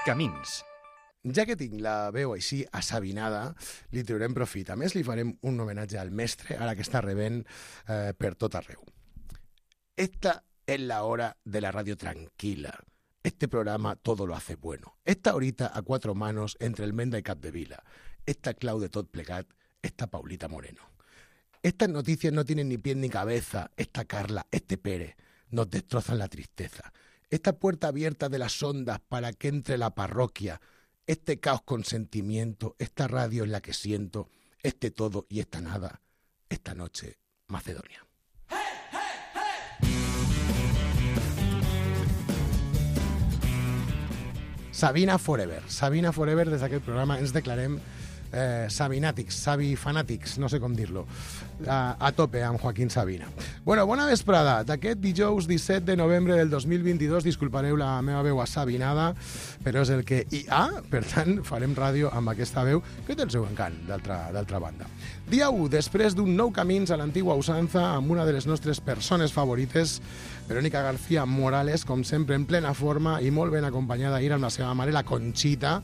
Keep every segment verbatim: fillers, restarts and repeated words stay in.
Camins. Ja que tinc la veu així assavinada, li traurem profit. A més, li farem un homenatge al mestre, ara que està rebent eh, per tot arreu. Esta es la hora de la radio tranquila. Este programa todo lo hace bueno. Esta horita a cuatro manos entre el Menda y Capdevila. Esta clau de tot plegat, esta Paulita Moreno. Estas noticias no tienen ni pie ni cabeza. Esta Carla, este Pérez, nos destrozan la tristeza. Esta puerta abierta de las ondas para que entre la parroquia. Este caos con sentimiento, esta radio en la que siento, este todo y esta nada, esta noche, Macedonia. Sabina Forever. Sabina Forever, des d'aquest programa ens declarem eh, sabinàtics, sabifanàtics, no sé com dir-lo, a, a tope amb Joaquín Sabina. Bueno, bona vesprada. D'aquest dijous disset de novembre del dos mil vint-i-dos, disculpareu la meva veu assabinada, però és el que hi ha, per tant, farem ràdio amb aquesta veu, que té el seu encant, d'altra banda. Dia u, després d'un nou Camins a l'antigua usança, amb una de les nostres persones favorites, Verónica García Morales, com sempre en plena forma i molt ben acompanyada ahir amb la seva mare, la Conxita,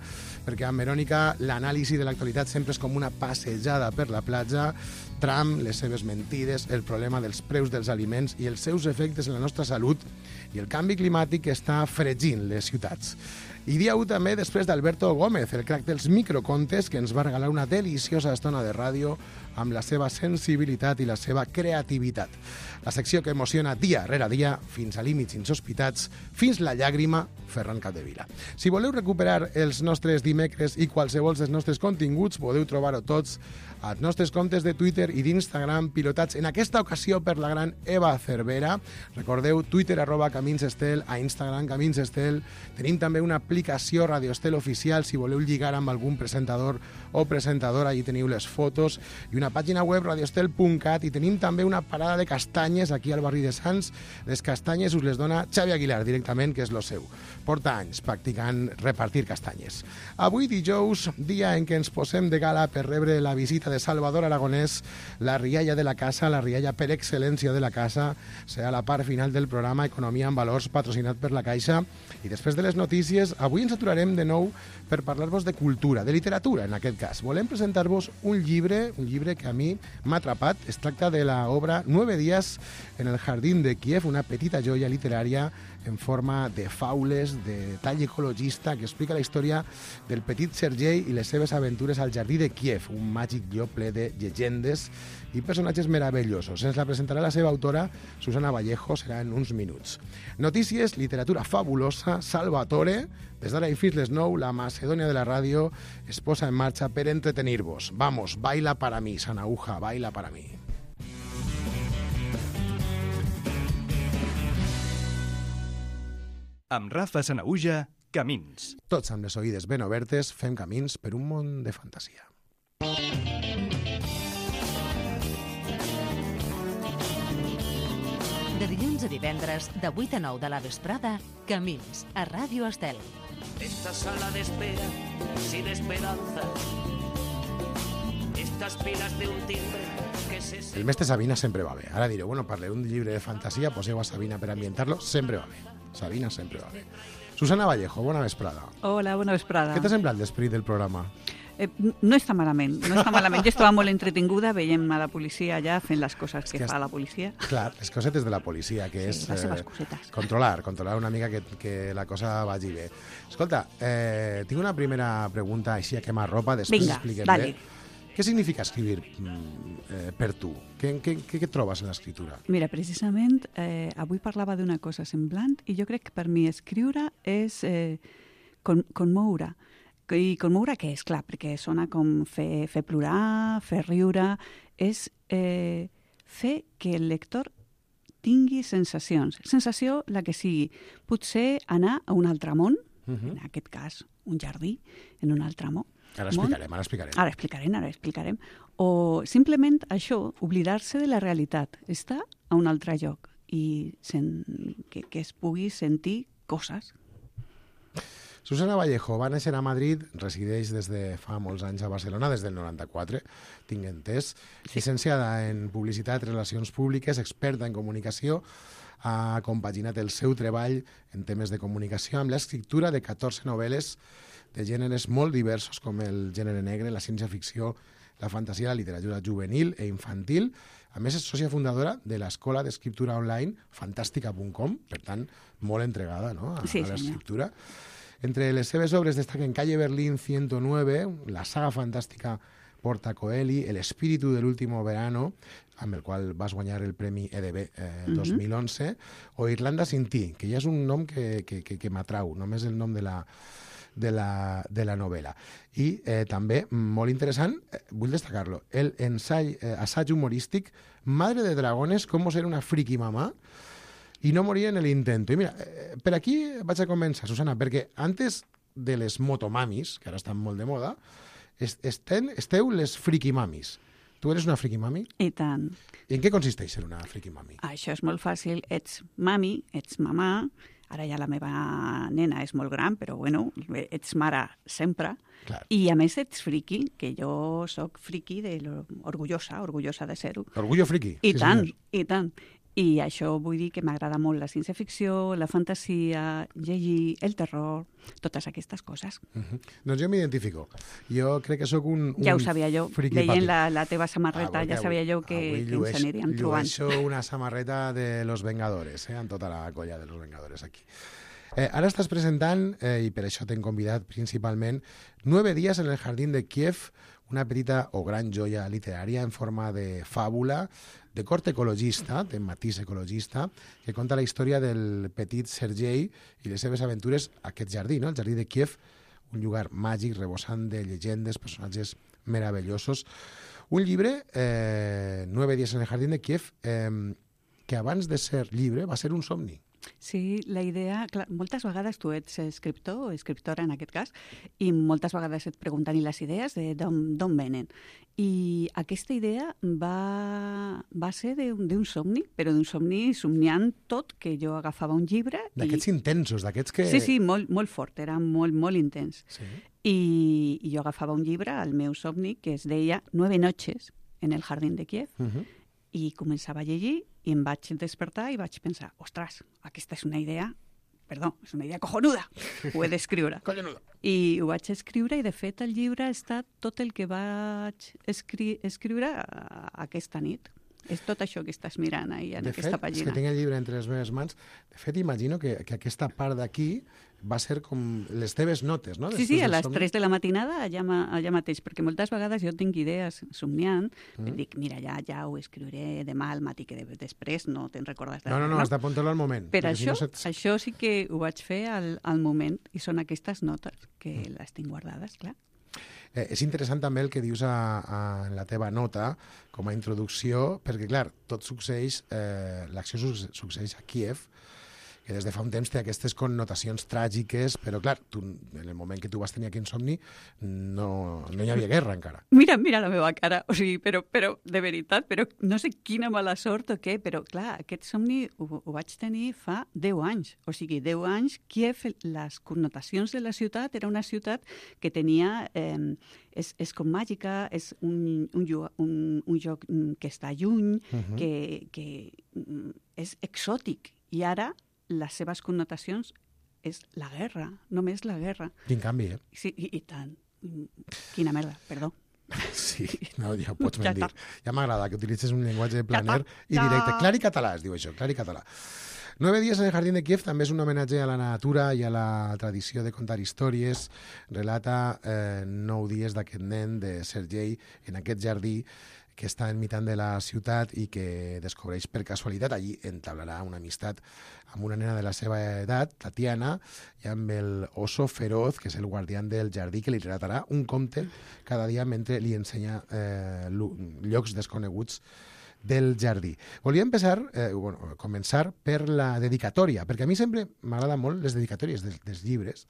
perquè amb Verònica l'anàlisi de l'actualitat sempre és com una passejada per la platja, Trump, les seves mentides, el problema dels preus dels aliments i els seus efectes en la nostra salut i el canvi climàtic que està fregint les ciutats. I dia u també després d'Alberto Gómez, el crac dels microcontes, que ens va regalar una deliciosa estona de ràdio amb la seva sensibilitat i la seva creativitat. La secció que emociona dia rere dia, fins a límits insospitats, fins la llàgrima, Ferran Capdevila. Si voleu recuperar els nostres dimecres i qualsevol dels nostres continguts, podeu trobar-ho tots als nostres comptes de Twitter i d'Instagram, pilotats en aquesta ocasió per la gran Eva Cervera. Recordeu, Twitter arroba Camins Estel, a Instagram Camins Estel. Tenim també una aplicació Radio Estel oficial, si voleu lligar amb algun presentador o presentadora, allí teniu les fotos, i una pàgina web radioestel punt cat, i tenim també una parada de castanyes aquí al barri de Sants. Les castanyes us les dona Xavi Aguilar directament, que és lo seu. Porta anys practicant repartir castanyes. Avui dijous, dia en què ens posem de gala per rebre la visita de Salvador Aragonès, la rialla de la casa, la rialla per excel·lència de la casa, serà la part final del programa Economia en Valors, patrocinat per la Caixa. I després de les notícies, avui ens aturarem de nou per parlar-vos de cultura, de literatura en aquest cas. Volem presentar-vos un llibre, un llibre que a mi m'ha atrapat. Es tracta de l'obra Nueve días en el jardín de Kiev, una petita joia literària en forma de faules, de tall ecologista, que explica la història del petit Sergei i les seves aventures al jardí de Kiev, un màgic lloc ple de llegendes i personatges meravellosos. Ens la presentarà la seva autora, Susana Vallejo, serà en uns minuts. Notícies, literatura fabulosa, Salvatore. Des d'ara i fins les nou, la Macedònia de la ràdio es posa en marxa per entretenir-vos. Vamos, baila para mí, Sanauja, baila para mí. Amb Rafa Sanauja, Camins. Tots amb les oïdes ben obertes fem camins per un món de fantasia. De dilluns a divendres, de vuit a nou de la vesprada, Camins, a Ràdio Estel. Esta sala de espera sin esperanza. Estas pilas de un timbre que se... El mestre Sabina sempre va bé. Ara direu, bueno, parleu d'un llibre de fantasia, poseu a Sabina per ambientar-lo, sempre va bé. Sabina sempre va bé. Susana Vallejo, bona vesprada. Hola, bona vesprada. Què t'ha semblat l'esperit del programa? Eh, no està malament, no està malament. Jo estava molt entretinguda, veiem a la policia allà fent les coses que, que fa la policia. Clar, les cosetes de la policia, que sí, és les seves cosetes. Eh, controlar, controlar una mica que, que la cosa vagi bé. Escolta, eh, tinc una primera pregunta així a quemarropa, després Vinga, expliquem dale. bé. Què significa escriure eh, per tu? Què, què, què trobes en l'escriptura? Mira, precisament, eh, avui parlava d'una cosa semblant i jo crec que per mi escriure és eh, con, conmoure. I conmoure què és? Clar, perquè sona com fer, fer plorar, fer riure. És eh, fer que el lector tingui sensacions. Sensació, la que sigui. Potser anar a un altre món, uh-huh. En aquest cas, un jardí, en un altre món. Ara explicarem, ara explicarem. Ara explicarem, ara explicarem. O simplement això, oblidar-se de la realitat, estar a un altre lloc i sen, que, que es pugui sentir coses. Susana Vallejo va néixer a Madrid, resideix des de fa molts anys a Barcelona, des del noranta-quatre, tinc entès, sí. Llicenciada en Publicitat i Relacions Públiques, experta en comunicació, ha compaginat el seu treball en temes de comunicació amb l'escriptura de catorze novel·les de gèneres molt diversos com el gènere negre, la ciència-ficció, la fantasia, la literatura juvenil e infantil. A més, és sòcia fundadora de l'escola d'escriptura online fantàstica punt com, per tant, molt entregada, no?, a, sí, a l'escriptura. Entre les seves obres destaquen Calle Berlín ciento nueve, la saga fantàstica Porta Coeli, El espíritu del último verano, amb el qual vas guanyar el Premi E D B eh, dos mil onze, o Irlanda sin ti, que ja és un nom que, que, que, que m'atrau, només el nom de la, de la, de la novel·la. I eh, també, molt interessant, eh, vull destacar-lo, el ensai, eh, assaig humorístic Madre de dragones, cómo ser una friki mamà i no morir en el intento. I mira, eh, per aquí vaig a començar, Susana, perquè antes de les motomamis, que ara estan molt de moda, Esten, esteu les friki mamis. Tu eres una friki mami? I tant. I en què consisteix ser una friki mami? Això és molt fàcil. Ets mami, ets mamà, ara ja la meva nena és molt gran, però bueno, ets mare sempre. Clar. I a més ets friki, que jo sóc friki, de lo, orgullosa, orgullosa de ser-ho. Orgullo friki. I sí, tant, senyor. i tant. I això vull dir que m'agrada molt la ciència-ficció, la fantasia, llegir, el terror, totes aquestes coses. Uh -huh. Doncs jo m'identifico. Jo crec que sóc un, un Ja ho sabia jo, friki veient papi. la, la teva samarreta, Ah, ja sabia jo que, que ens aniríem trobant. Llueixo una samarreta de Los Vengadores, eh, amb tota la colla de Los Vengadores aquí. Eh, ara estàs presentant, eh, i per això t'hem convidat principalment, Nueve días en el jardín de Kiev, una petita o gran joia literària en forma de fàbula, de corte ecologista, de matís ecologista, que conta la història del petit Sergei i les seves aventures a aquest jardí, no? El jardí de Kiev, un lugar màgic, rebosant de llegendes, personatges meravellosos. Un llibre, eh, Nueve días en el jardín de Kiev, eh, que abans de ser llibre va ser un somni. Sí, la idea... Clar, moltes vegades tu ets escriptor o escriptora en aquest cas i moltes vegades et pregunten i les idees d'on venen. I aquesta idea va, va ser d'un somni, però d'un somni somniant tot, que jo agafava un llibre... D'aquests i... intensos, d'aquests que... Sí, sí, molt, molt fort, era molt, molt intens. Sí. I, I jo agafava un llibre, el meu somni, que es deia Nueve noches en el jardín de Kiev, Uh -huh. i començava a llegir i em vaig despertar i vaig pensar, ostres, aquesta és una idea, perdó, és una idea cojonuda, ho he d'escriure. Collonuda. I ho vaig escriure i, de fet, el llibre ha estat tot el que vaig escri escriure aquesta nit. És tot això que estàs mirant ahí en de aquesta fet, pàgina. és que tinc el llibre entre les meves mans. De fet, imagino que, que aquesta part d'aquí va ser com les teves notes, no? Sí, sí, Després a del les somni. tres de la matinada allà, ma- allà mateix, perquè moltes vegades jo tinc idees somniant, Mm. i dic, mira, ja, ja ho escriuré demà al matí, que de, després no te'n recordes de No, no, res, no, has d'apuntar-lo al moment. Per perquè si això, no se't- això sí que ho vaig fer al, al moment, i són aquestes notes que les tinc guardades, clar. Eh, és interessant també el que dius a, a, en la teva nota com a introducció, perquè, clar, tot succeeix, eh, l'acció suc succeeix a Kiev, que des de fa un temps té aquestes connotacions tràgiques, però, clar, tu, en el moment que tu vas tenir aquest somni no, no hi havia guerra encara. Mira, mira la meva cara, o sigui, però, però de veritat, però no sé quina mala sort o què, però clar, aquest somni ho, ho vaig tenir fa deu anys, o sigui, deu anys, Kiev, les connotacions de la ciutat, era una ciutat que tenia, eh, és, és com màgica, és un, un, lloc, un, un lloc que està lluny, Uh -huh. que, que és exòtic, i ara les seves connotacions és la guerra, només la guerra. Quin canvi, eh? Sí, i, i tant. Quina merda, perdó. Sí, no, ja ho pots Ja mentir. Ja m'agrada que utilitzes un llenguatge planer està. i directe. Clar i català, es diu això, clar i català. Nueve días en el jardín de Kiev també és un homenatge a la natura i a la tradició de contar històries. Relata eh, nou dies d'aquest nen, de Sergei, en aquest jardí que està enmig de la ciutat i que descobreix per casualitat. Allí entablarà una amistat amb una nena de la seva edat, Tatiana, i amb el oso feroz, que és el guardián del jardí, que li relatarà un conte cada dia mentre li ensenya eh, llocs desconeguts del jardí. Volia empezar, eh, bueno, començar per la dedicatòria, perquè a mi sempre m'agrada molt les dedicatòries dels, dels llibres,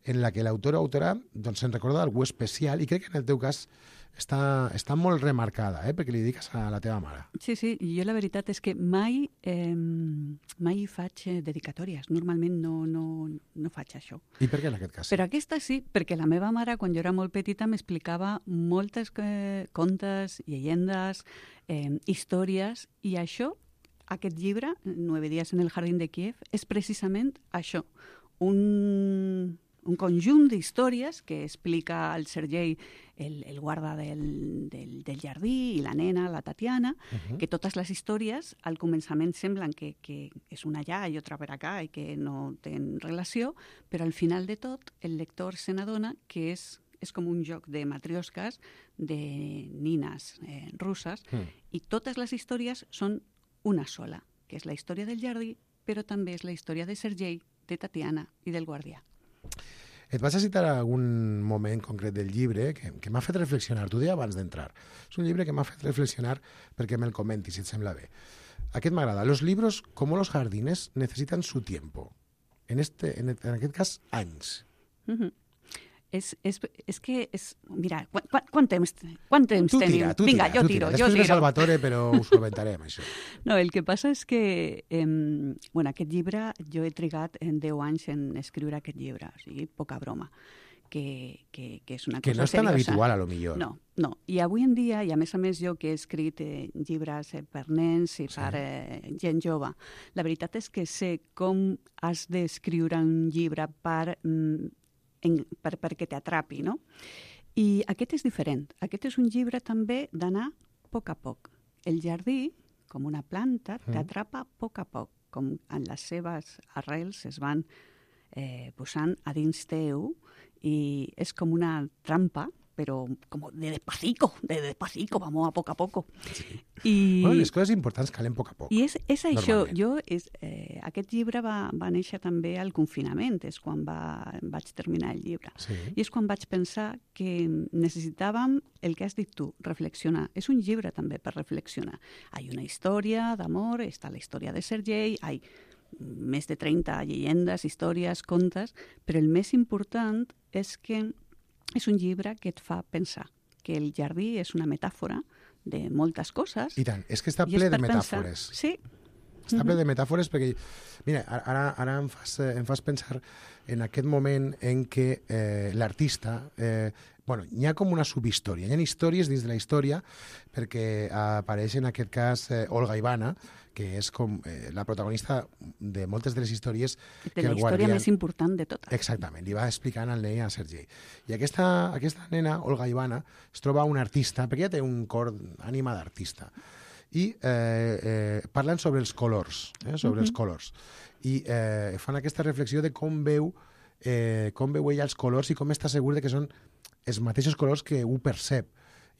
en la que l'autor o autora doncs, se'n recorda d'algú especial, i crec que en el teu cas està, està molt remarcada, eh, perquè li dediques a la teva mare. Sí, sí, jo la veritat és que mai, eh, mai faig eh, dedicatòries. Normalment no, no, no faig això. I per què en aquest cas? Però aquesta sí, perquè la meva mare, quan jo era molt petita, m'explicava moltes eh, contes, llegendes, eh, històries, i això aquest llibre, Nueve días en el jardín de Kiev, és precisament això, un, un conjunt d'històries que explica el Sergei, el, el guarda del, del, del jardí, i la nena, la Tatiana, uh-huh. que totes les històries al començament semblen que, que és una allà i otra per acá i que no tenen relació, però al final de tot el lector se n'adona que és és com un joc de matriosques, de nines eh, russes, mm. i totes les històries són una sola, que és la història del jardí, però també és la història de Sergei, de Tatiana i del guardià. Et vas a citar algun moment concret del llibre que, que m'ha fet reflexionar. T'ho deia abans d'entrar. És un llibre que m'ha fet reflexionar perquè me'l comentis, si et sembla bé. Aquest m'agrada. Los libros, como los jardines, necesitan su tiempo. En, este, en, en aquest cas, anys. Mm-hmm. És, és, és que, és, mira, quant, quant temps, quant temps tu tenim? Tira, tu Vinga, tira, jo tu tiro, tira. jo Després tiro. ve Salvatore, però us ho comentarem, això. No, el que passa és que eh, bueno, aquest llibre, jo he trigat en deu anys en escriure aquest llibre, o sigui, poca broma, que, que, que és una que cosa no és tan seriosa. habitual, a lo millor. No, no. I avui en dia, i a més a més jo que he escrit eh, llibres eh, per nens i Sí. per eh, gent jove, la veritat és que sé com has d'escriure un llibre per... Mm, En, per, perquè t'atrapi, no? I aquest és diferent. Aquest és un llibre també d'anar a poc a poc. El jardí, com una planta, t'atrapa a poc a poc, com en les seves arrels es van eh, posant a dins teu, i és com una trampa, però com de despacito, de despacito, vamos a poc a poc. Sí. I... Bueno, les coses importants calen a poc a poc. I és, és això, normalment. jo, és, eh, aquest llibre va, va néixer també al confinament, és quan va, vaig terminar el llibre. Sí. I és quan vaig pensar que necessitàvem el que has dit tu, reflexionar. És un llibre també per reflexionar. Hi ha una història d'amor, està la història de Sergei, hi ha més de trenta llegendes, històries, contes, però el més important és que és un llibre que et fa pensar que el jardí és una metàfora de moltes coses. I tant, és que està I és ple de per pensar. metàfores. Sí. Està ple de metàfores perquè, mira, ara, ara em, fas, em fas pensar en aquest moment en què eh, l'artista... Eh, bueno, hi ha com una subhistòria, hi ha històries dins de la història perquè apareix en aquest cas eh, Olga Ivana, que és com eh, la protagonista de moltes de les històries De que la el història guardià... més important de totes. Exactament, li va explicant al nen a Sergei. I aquesta, aquesta nena, Olga Ivana, es troba un artista, perquè ella té un cor, ànima d'artista, i eh, eh, parlen sobre els colors, eh, sobre uh-huh. els colors. I eh, fan aquesta reflexió de com veu, eh, com veu ella els colors i com està segur de que són els mateixos colors que ho percep.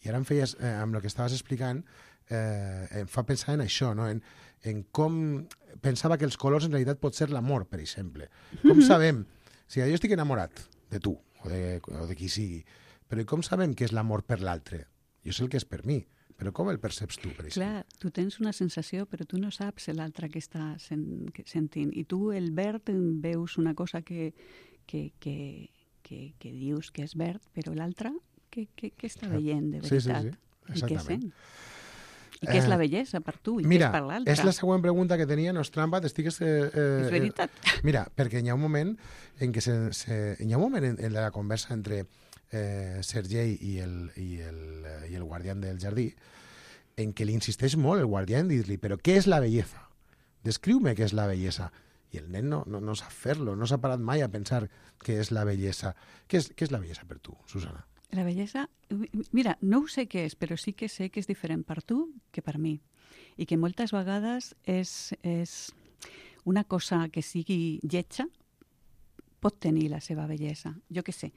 I ara em feies, eh, amb el que estaves explicant, eh, em fa pensar en això, no? en, en com pensava que els colors en realitat pot ser l'amor, per exemple. Com mm-hmm. sabem, si jo estic enamorat de tu, o de, o de qui sigui, però com sabem que és l'amor per l'altre? Jo sé el que és per mi, però com el perceps tu, per exemple? Clar, tu tens una sensació, però tu no saps l'altre que està sen sentint. I tu, el verd, veus una cosa que, que, que, que, que dius que és verd, però l'altre, què, què, què està veient de veritat? Sí, sí, sí. I què Exactament. sent? I què és la bellesa per tu? I Mira, què és per l'altre? és la següent pregunta que tenia, no és trampa, t'estigues... Eh, eh, És veritat. Eh, mira, perquè hi ha un moment en què se, se, hi ha un moment en, en la conversa entre eh, Sergei i el, i, el, i el guardián del jardí en què li insisteix molt el guardià en dir-li però què és la bellesa? Descriu-me què és la bellesa. I el nen no, no, no sap fer-lo, no s'ha parat mai a pensar què és la bellesa. Què és, què és la bellesa per tu, Susana? La bellesa, mira, no ho sé què és, però sí que sé que és diferent per tu que per mi. I que moltes vegades és, és una cosa que sigui lletja, pot tenir la seva bellesa. Jo què sé,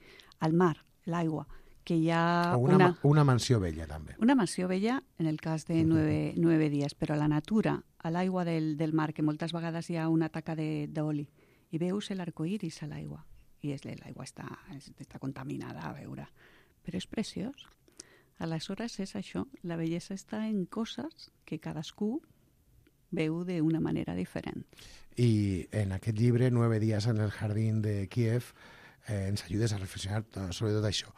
el mar, l'aigua, que hi ha O una, una, una mansió vella, també. una mansió vella en el cas de nueve, nueve dies, però a la natura, a l'aigua del, del mar, que moltes vegades hi ha una taca d'oli, i veus l'arcoiris a l'aigua, i l'aigua està, està contaminada a veure. Però és preciós. Aleshores és això, la bellesa està en coses que cadascú veu d'una manera diferent. I en aquest llibre, Nueve días en el jardín de Kiev, eh, ens ajudes a reflexionar sobre tot això.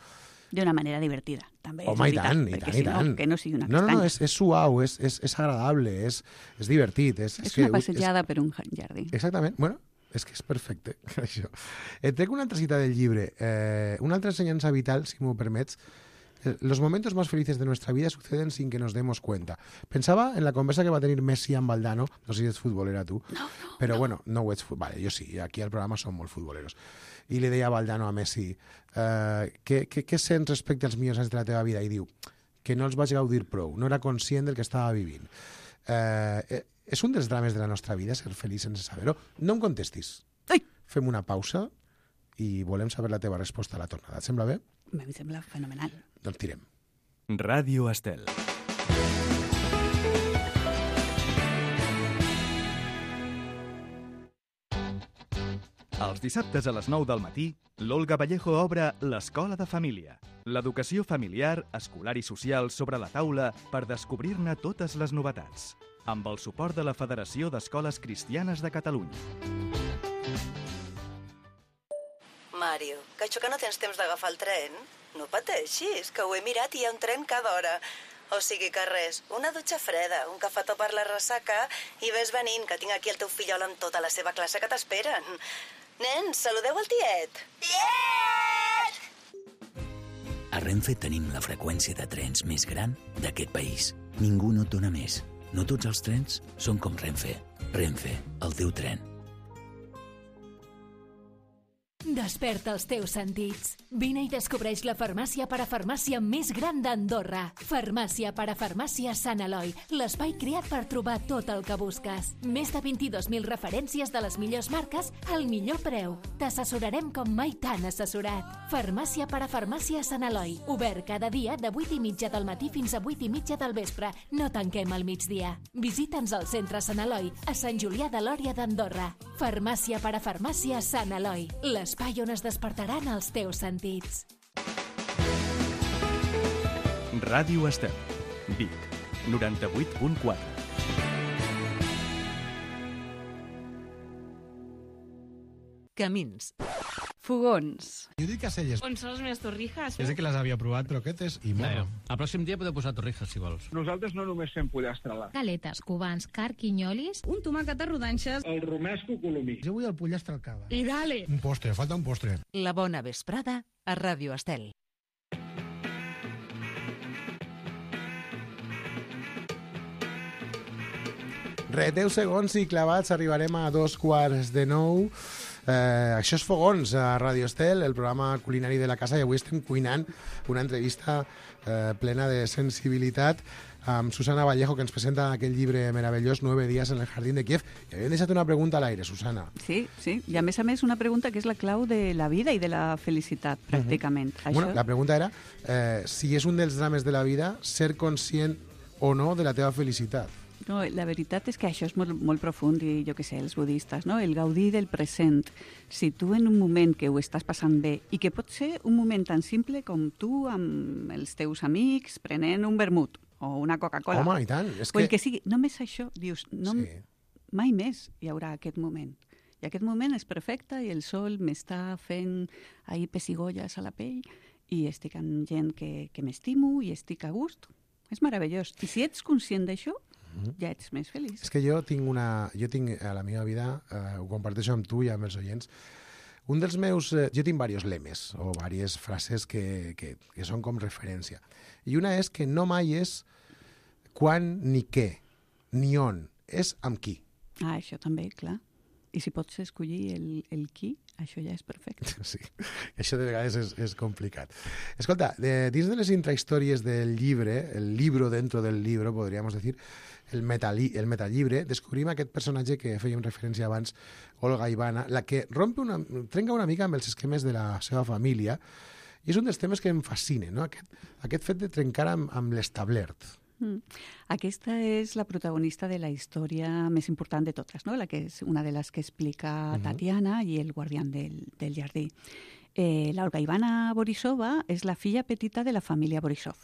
D'una manera divertida, també. Home, és i tant, i veritat, tant, perquè i si tant. No, que no sigui una No, no, castanya. no, és, és suau, és, és, és agradable, és, és divertit. És, és que, una passejada per un jardí. Exactament, bueno, és que és perfecte, això. Et trec una altra cita del llibre, eh, una altra ensenyança vital, si m'ho permets, los momentos más felices de nuestra vida suceden sin que nos demos cuenta. Pensaba en la conversa que va a tenir Messi amb Valdano, no sé si ets futbolera tu, No, no, però no. bueno, no ho ets, vale, jo sí, aquí al programa som molt futboleros. I li deia a Valdano a Messi, eh, què, què, què sents respecte als millors anys de la teva vida? I diu que no els vaig gaudir prou, no era conscient del que estava vivint. Eh, és un dels drames de la nostra vida, ser feliç sense saber-ho. No em contestis. Ai! Fem una pausa i volem saber la teva resposta a la tornada. Et sembla bé? A mi sembla fenomenal. Doncs tirem. Ràdio Estel. Els dissabtes a les nou del matí, l'Olga Vallejo obre l'Escola de Família. L'educació familiar, escolar i social sobre la taula per descobrir-ne totes les novetats. Amb el suport de la Federació d'Escoles Cristianes de Catalunya. Mario, que això que no tens temps d'agafar el tren? No pateixis, que ho he mirat i hi ha un tren cada hora. O sigui que res, una dutxa freda, un cafetó per la ressaca i ves venint, que tinc aquí el teu fillol amb tota la seva classe que t'esperen. Nens, saludeu el tiet. Tiet! A Renfe tenim la freqüència de trens més gran d'aquest país. Ningú no et dona més. No tots els trens són com Renfe. Renfe, el teu tren. Desperta els teus sentits. Vine i descobreix la farmàcia parafarmàcia més gran d'Andorra. Farmàcia parafarmàcia Sant Eloi, l'espai creat per trobar tot el que busques. Més de vint-i-dos mil referències de les millors marques al millor preu. T'assessorarem com mai t'han assessorat. Farmàcia parafarmàcia Sant Eloi, obert cada dia de vuit i mitja del matí fins a vuit i mitja del vespre. No tanquem al migdia. Visita'ns al centre Sant Eloi, a Sant Julià de Lòria d'Andorra. Farmàcia parafarmàcia Sant Eloi, l'espai on es despertaran els teus sentits. Ràdio Estel. Vic. noranta-vuit punt quatre. Camins. Fogons. Judit Caselles. On són les meves torrijas? És que les havia provat croquetes i morro. El pròxim dia podeu posar torrijas, si vols. Nosaltres no només fem pollastre a la... Galetes, cubans, carquinyolis... Un tomàquet a rodanxes. El romesco colomí. Jo vull el pollastre al cava. I dale! Un postre, falta un postre. La bona vesprada a Ràdio Estel. Re, deu segons i clavats, arribarem a dos quarts de nou. Eh, això és Fogons, a Radio Estel, el programa culinari de la casa, i avui estem cuinant una entrevista eh, plena de sensibilitat amb Susana Vallejo, que ens presenta aquell llibre meravellós, Nueve días en el jardín de Kiev. I havíem deixat una pregunta a l'aire, Susana. Sí, sí, i a més a més una pregunta que és la clau de la vida i de la felicitat, pràcticament. Uh-huh. Bueno, la pregunta era eh, si és un dels drames de la vida ser conscient o no de la teva felicitat. No, la veritat és que això és molt, molt profund i jo què sé, els budistes, no? El gaudir del present. Si tu en un moment que ho estàs passant bé i que pot ser un moment tan simple com tu amb els teus amics prenent un vermut o una Coca-Cola. Home, i tant. És o que... el que sigui, només això, dius, no, sí. Mai més hi haurà aquest moment. I aquest moment és perfecte i el sol m'està fent ahir pessigolles a la pell i estic amb gent que, que m'estimo i estic a gust. És meravellós. I si ets conscient d'això, ja ets més feliç. És que jo tinc una... Jo tinc a la meva vida, eh, ho comparteixo amb tu i amb els oients, un dels meus... Eh, jo tinc diversos lemes o diverses frases que, que, que són com referència. I una és que no mai és quan ni què, ni on, és amb qui. Ah, això també, clar. I si pots escollir el, el qui, això ja és perfecte. Sí, això de vegades és, és complicat. Escolta, de, dins de les intrahistòries del llibre, el libro dentro del libro, podríamos decir, el, metali, el metalllibre, descobrim aquest personatge que fèiem referència abans, Olga Ivana, la que rompe una, trenca una mica amb els esquemes de la seva família, i és un dels temes que em fascina, no? aquest, aquest fet de trencar amb, amb l'establert. Mm. Aquesta és la protagonista de la història més important de totes, no? La que és una de les que explica uh-huh. Tatiana i el guardián del, del jardí. Eh, la Olga Ivana Borisova és la filla petita de la família Borisov.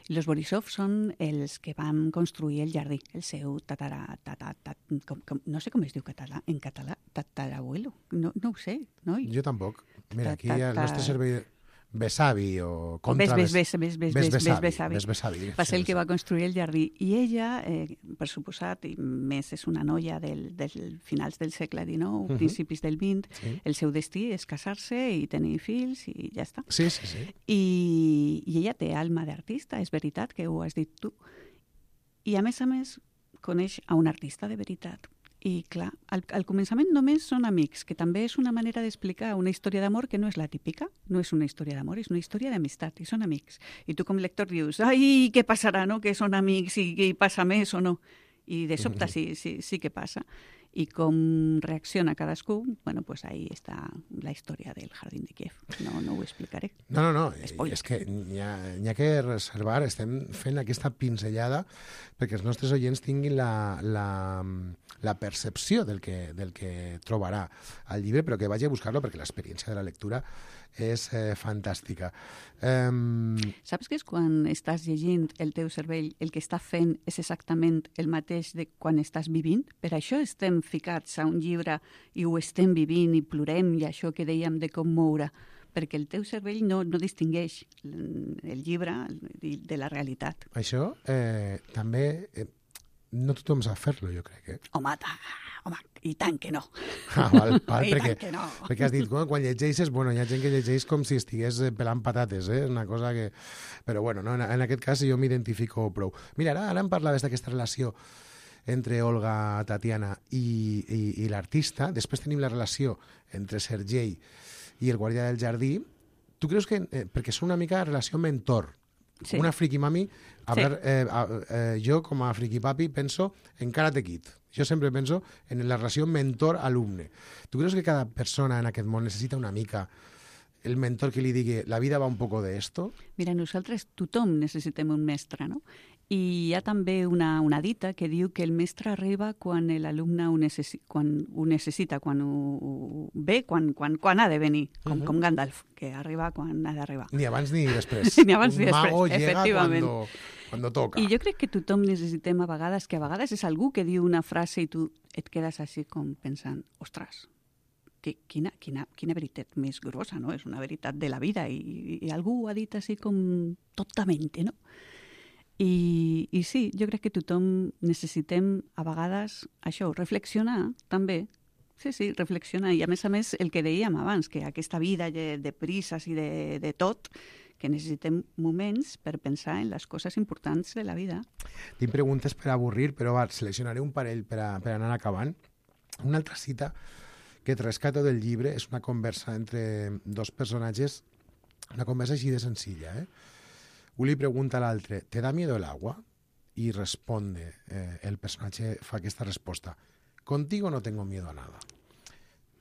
I els Borisov són els que van construir el jardí, el seu tatara, tatara, tatara com, com, no sé com es diu català, en català, tatarabuelo, no, no ho sé. No? Jo tampoc. Mira, aquí el nostre servei... besavi o contra... Ves, ves, ves, ves, ves, ves, besavi. Ves besavi. Va ser el que va construir el jardí. I ella, eh, per suposat, i més és una noia del, del finals del segle dinou, uh-huh. principis del vint, sí. El seu destí és casar-se i tenir fills i ja està. Sí, sí, sí. I, i ella té alma d'artista, és veritat que ho has dit tu. I a més a més coneix a un artista de veritat. I clar, al, al començament només són amics, que també és una manera d'explicar una història d'amor que no és la típica, no és una història d'amor, és una història d'amistat, i són amics. I tu com lector dius, ai, què passarà, no?, que són amics i que hi passa més o no. I de sobte sí, sí, sí que passa. I com reacciona cadascú, bueno, pues ahí està la història del Jardín de Kiev. No, no ho explicaré. No, no, no, Spoiler. És que n'hi ha, n'hi ha que reservar, estem fent aquesta pinzellada perquè els nostres oients tinguin la, la, la percepció del que, del que trobarà al llibre, però que vagi a buscar-lo perquè l'experiència de la lectura és eh, fantàstica. Um... Saps que és quan estàs llegint el teu cervell, el que està fent és exactament el mateix de quan estàs vivint? Per això estem ficats a un llibre i ho estem vivint i plorem i això que dèiem de commoure, perquè el teu cervell no, no distingueix el llibre de la realitat. Això eh, també... Eh, no tothom sap fer-lo, jo crec. Eh? Home, home, i tant que no. Ah, val, val, I perquè, tant que no. Perquè has dit, quan, quan llegeixes, bueno, hi ha gent que llegeix com si estigués pelant patates, eh? Una cosa que... Però bueno, no, en, en aquest cas jo m'identifico prou. Mira, ara, ara em parlaves d'aquesta relació entre Olga, Tatiana i, i, i l'artista. Després tenim la relació entre Sergei i el guardià del jardí. Tu creus que... Eh, perquè són una mica relació mentor. Sí. Una friki mami, hablar, sí. eh, eh, jo com a friki papi penso en Karate Kid. Jo sempre penso en la relació mentor-alumne. Tu creus que cada persona en aquest món necessita una mica el mentor que li digui la vida va un poco de esto? Mira, nosaltres tothom necessitem un mestre, no? I hi ha també una, una dita que diu que el mestre arriba quan l'alumne ho, necessi quan ho necessita, quan ho ve, quan, quan, quan ha de venir, com, uh-huh. com Gandalf, que arriba quan ha d'arribar. Ni abans ni després. Ni abans un ni després, mago llega efectivament. Cuando, cuando toca. I jo crec que tothom necessitem a vegades, que a vegades és algú que diu una frase i tu et quedes així com pensant, ostres, que, quina, quina, quina veritat més grossa, no? És una veritat de la vida i, i algú ho ha dit així com totalment, no? I, I sí, jo crec que tothom necessitem a vegades això, reflexionar també. Sí, sí, reflexionar. I a més a més el que dèiem abans, que aquesta vida de, de prises i de, de tot, que necessitem moments per pensar en les coses importants de la vida. Tinc preguntes per avorrir, però va, seleccionaré un parell per, a, per anar acabant. Una altra cita que et rescato del llibre és una conversa entre dos personatges, una conversa així de senzilla, eh? Un li pregunta a l'altre, ¿te da miedo el agua? Y responde, eh, el personatge fa aquesta resposta, contigo no tengo miedo a nada.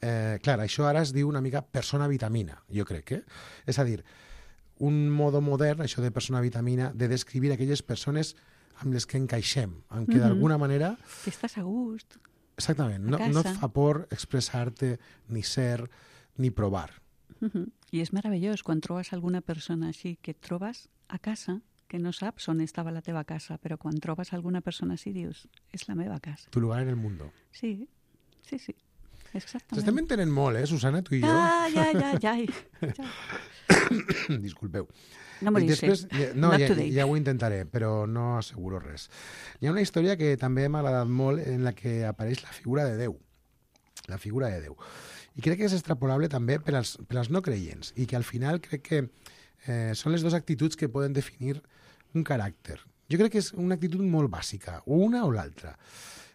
Eh, clar, això ara es diu una mica persona vitamina, jo crec, eh? És a dir, un modo modern, això de persona vitamina, de descriure aquelles persones amb les que encaixem, amb que mm-hmm. d'alguna manera... Que estàs a gust. Exactament, no, no et fa por expressar-te, ni ser, ni provar. Uh-huh. I és meravellós quan trobes alguna persona així que et trobes a casa, que no saps on estava la teva casa, però quan trobes alguna persona així dius, és la meva casa. Tu lugar en el mundo. Sí, sí, sí. Exactament. Estem entenent molt, eh, Susana, tu i jo? Ah, ja, ja, ja. ja. Disculpeu. No m'ho Després, ja, no, ja, ja ho intentaré, però no asseguro res. Hi ha una història que també m'ha agradat molt en la que apareix la figura de Déu. La figura de Déu. I crec que és extrapolable també per als, per als no creients i que al final crec que eh, són les dues actituds que poden definir un caràcter. Jo crec que és una actitud molt bàsica, o una o l'altra.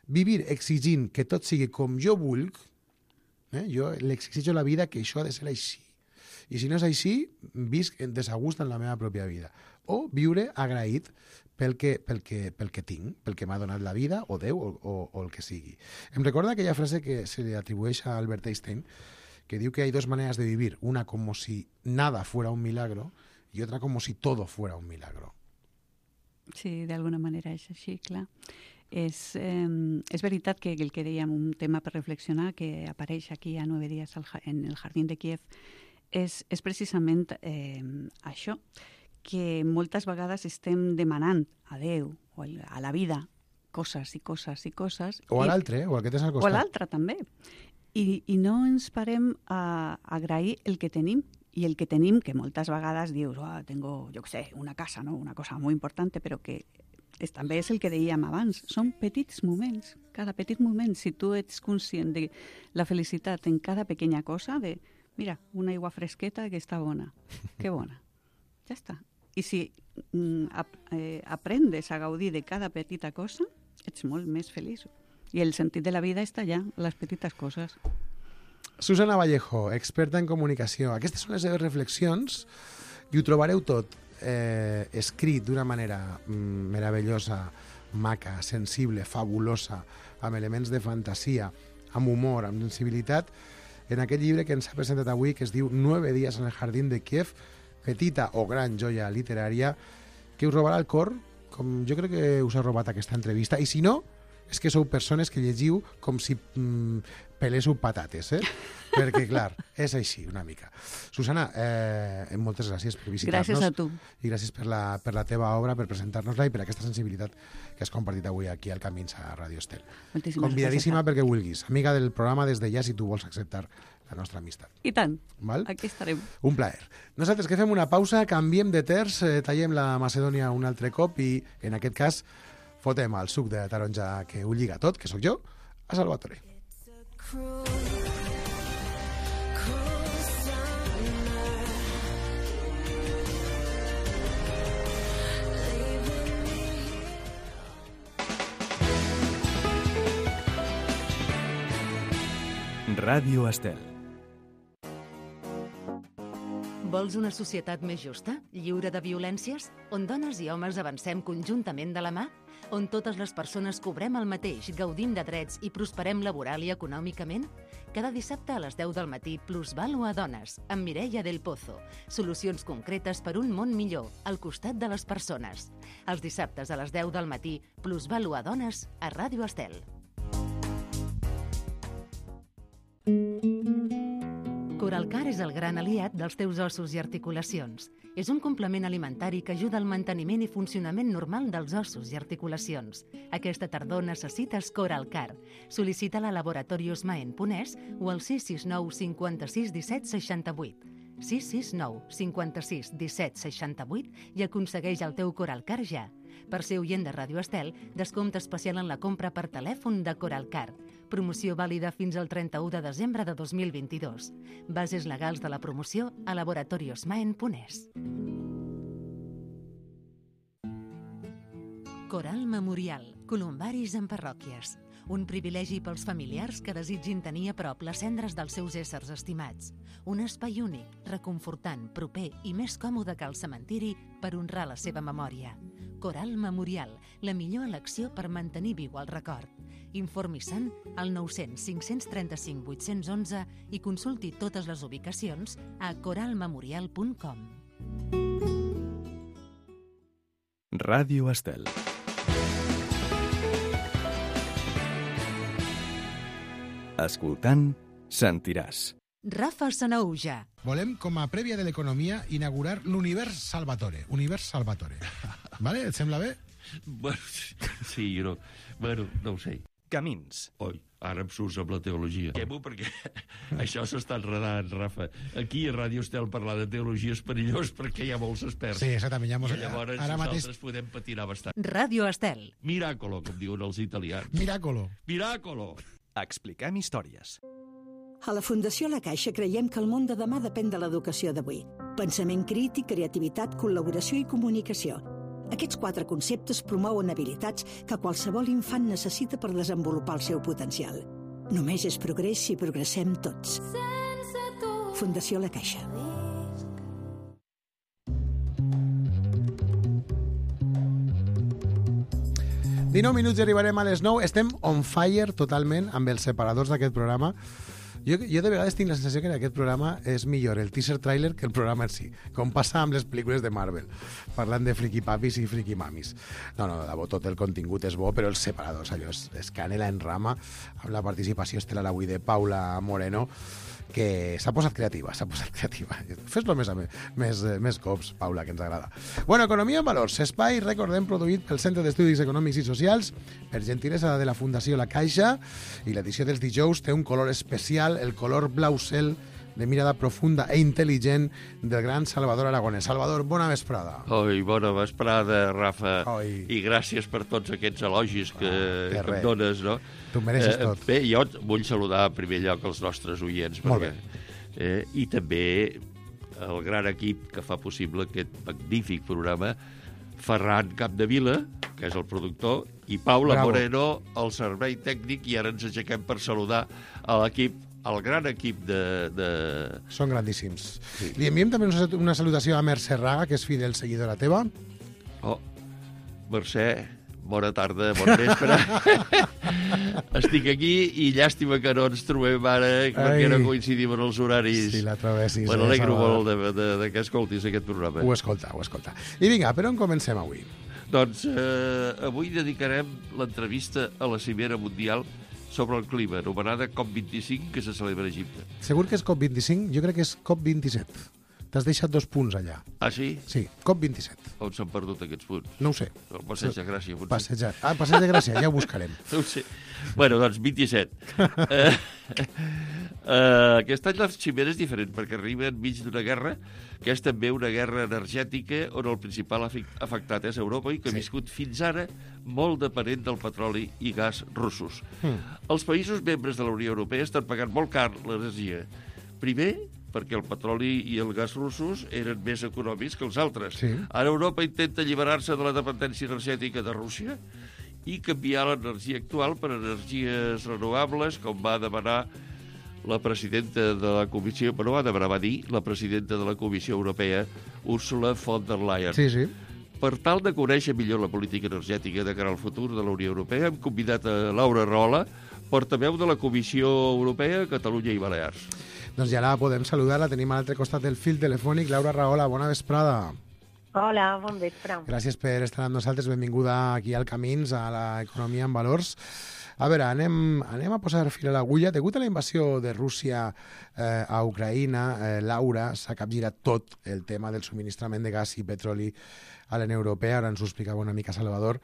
Vivir exigint que tot sigui com jo vull, eh, jo l'exigeixo a la vida que això ha de ser així. I si no és així, visc en desagust en la meva pròpia vida. O viure agraït pel que, pel que, pel que tinc, pel que m'ha donat la vida, o Déu, o, o, o el que sigui. Em recorda aquella frase que se li atribueix a Albert Einstein, que diu que hay dos maneras de vivir, una como si nada fuera un milagro y otra como si todo fuera un milagro. Sí, d'alguna manera és així, clar. És, eh, és veritat que el que dèiem, un tema per reflexionar, que apareix aquí a nueve dies al, en el Jardín de Kiev, és, és precisament eh, això, que moltes vegades estem demanant a Déu o a la vida coses i coses i coses. O a l'altre, eh? O al que tens al costat. O a l'altre, també. I, I no ens parem a, a agrair el que tenim I el que tenim, que moltes vegades dius, oh, tengo, jo què sé, una casa, no? Una cosa molt important, però que és, també és el que dèiem abans, són petits moments, cada petit moment, si tu ets conscient de la felicitat en cada pequeña cosa, de, mira, una aigua fresqueta que està bona, que bona, ja està. I si mm, ap eh, aprendes a gaudir de cada petita cosa, ets molt més feliç. I el sentit de la vida està allà, les petites coses. Susana Vallejo, experta en comunicació. Aquestes són les seves reflexions i ho trobareu tot eh, escrit d'una manera mm, meravellosa, maca, sensible, fabulosa, amb elements de fantasia, amb humor, amb sensibilitat, en aquest llibre que ens ha presentat avui, que es diu Nueve días en el jardín de Kiev, petita o gran joia literària, que us robarà el cor, com jo crec que us ha robat aquesta entrevista, i si no, és que sou persones que llegiu com si mm, peléssiu patates, eh? Perquè, clar, és així, una mica. Susana, eh, moltes gràcies per visitar-nos. Gràcies a tu. I gràcies per la, per la teva obra, per presentar-nos-la i per aquesta sensibilitat que has compartit avui aquí al Camins a Radio Estel. Moltíssimes Convidadíssima gràcies. perquè vulguis. Amiga del programa des de ja, si tu vols acceptar la nostra amistat. I tant. Val? Aquí estarem. Un plaer. Nosaltres que fem una pausa, canviem de terç, eh, tallem la Macedònia un altre cop i, en aquest cas, fotem el suc de taronja que ho lliga tot, que sóc jo, a Salvatore. Ràdio Estel. Vols una societat més justa, lliure de violències, on dones i homes avancem conjuntament de la mà? On totes les persones cobrem el mateix, gaudim de drets i prosperem laboral i econòmicament? Cada dissabte a les deu del matí, Plusvalua a Dones, amb Mireia del Pozo. Solucions concretes per un món millor, al costat de les persones. Els dissabtes a les deu del matí, Plusvalua a Dones, a Ràdio Estel. Coralcar és el gran aliat dels teus ossos i articulacions. És un complement alimentari que ajuda al manteniment i funcionament normal dels ossos i articulacions. Aquesta tardor necessites Coralcar. Sol·licita-la a Laboratorios Maen Ponès o al sis sis nou cinquanta-sis disset seixanta-vuit. sis sis nou cinquanta-sis disset seixanta-vuit i aconsegueix el teu Coralcar ja. Per ser oient de Ràdio Estel, descompte especial en la compra per telèfon de Coralcar. Promoció vàlida fins al trenta-u de desembre de dos mil vint-i-dos. Bases legals de la promoció a Laboratorios Maen Ponès. Coral Memorial. Columbaris en parròquies. Un privilegi pels familiars que desitgin tenir a prop les cendres dels seus éssers estimats. Un espai únic, reconfortant, proper i més còmode que el cementiri per honrar la seva memòria. Coral Memorial, la millor elecció per mantenir viu el record. Informi-se'n al nou cents cinc cents trenta-cinc vuit-cents onze i consulti totes les ubicacions a coral memorial punt com. Ràdio Estel. Escoltant, sentiràs. Rafa Sanauja. Volem, com a prèvia de l'economia, inaugurar l'Univers Salvatore. Univers Salvatore. Vale? Et sembla bé? Bueno, sí, no, bueno, no ho sé. Camins. Oi, ara em surts amb la teologia. Quemo perquè això s'està enredant, Rafa. Aquí a Ràdio Estel parlar de teologia és perillós perquè hi ha molts experts. Sí, exactament. Ja mos... I llavors ara nosaltres mateix... podem patinar bastant. Ràdio Estel. Miracolo, com diuen els italians. Miracolo. Miracolo. Expliquem històries. A la Fundació La Caixa creiem que el món de demà depèn de l'educació d'avui. Pensament crític, creativitat, col·laboració i comunicació. Aquests quatre conceptes promouen habilitats que qualsevol infant necessita per desenvolupar el seu potencial. Només és progrés si progressem tots. Fundació La Caixa. dinou minuts i arribarem a les nou. Estem on fire totalment amb els separadors d'aquest programa. Jo, jo de vegades tinc la sensació que en aquest programa és millor el teaser trailer que el programa en si, com passa amb les pel·lícules de Marvel, parlant de friki papis i friki mamis. No, no, de bo, tot el contingut és bo, però els separadors, allò és, és canela en rama, amb la participació estel·lar avui de Paula Moreno, que s'ha posat creativa, s'ha posat creativa. Fes-lo més, més, més cops, Paula, que ens agrada. Bueno, Economia en Valors, espai, recordem, produït pel Centre d'Estudis Econòmics i Socials, per gentilesa de la Fundació La Caixa, i l'edició dels dijous té un color especial, el color blau cel de mirada profunda e intel·ligent del gran Salvador Aragonès. Salvador, bona vesprada. Oi, bona vesprada, Rafa. Oi. I gràcies per tots aquests elogis que, ah, que, que em dones, no? Tu mereixes eh, tot. Bé, jo vull saludar en primer lloc els nostres oients. Molt perquè, eh, I també el gran equip que fa possible aquest magnífic programa, Ferran Capdevila, que és el productor, i Paula Bravo. Moreno, el servei tècnic, i ara ens aixequem per saludar a l'equip, el gran equip de... de... Són grandíssims. Sí. Li enviem també una salutació a Mercè Raga, que és fidel seguidora teva. Oh, Mercè, bona tarda, bon vespre. Estic aquí i llàstima que no ens trobem ara, perquè no coincidim en els horaris. Si la trobessis. Me n'alegro eh, molt de, de, de que escoltis aquest programa. Ho escolta, ho escolta. I vinga, per on comencem avui? Doncs eh, avui dedicarem l'entrevista a la Cimera Mundial sobre el clima, anomenada COP vint-i-cinc, que se celebra a Egipte. Segur que és COP vint-i-cinc? Jo crec que és COP vint-i-set. T'has deixat dos punts allà. Ah, sí? Sí, COP vint-i-set. On s'han perdut aquests punts? No ho sé. El Passeig de Gràcia, potser. Passeig, ah, Passeig de Gràcia, ja ho buscarem. No ho sé. Bueno, doncs vint-i-set. eh, eh, aquest any la cimera és diferent, perquè arriba enmig d'una guerra, que és també una guerra energètica on el principal afectat és Europa i que ha Sí. viscut fins ara molt depenent del petroli i gas russos. Mm. Els països membres de la Unió Europea estan pagant molt car l'energia. Primer, perquè el petroli i el gas russos eren més econòmics que els altres. Sí. Ara Europa intenta alliberar-se de la dependència energètica de Rússia i canviar l'energia actual per energies renovables, com va demanar la presidenta de la Comissió, però va demanar, va dir la presidenta de la Comissió Europea, Ursula von der Leyen. Sí, sí. Per tal de conèixer millor la política energètica de cara al futur de la Unió Europea, hem convidat a Laura Rahola, portaveu de la Comissió Europea, Catalunya i Balears. Doncs ja la podem saludar, la tenim a l'altre costat del fil telefònic. Laura Rahola, bona vesprada. Hola, bon vespre. Gràcies per estar amb nosaltres, benvinguda aquí al Camins, a l'Economia en Valors. A veure, anem, anem a posar fil a l'agulla. Degut a la invasió de Rússia eh, a Ucraïna, eh, Laura, s'ha capgirat tot el tema del subministrament de gas i petroli a la Unió Europea. Ara ens ho explicava una mica Salvador.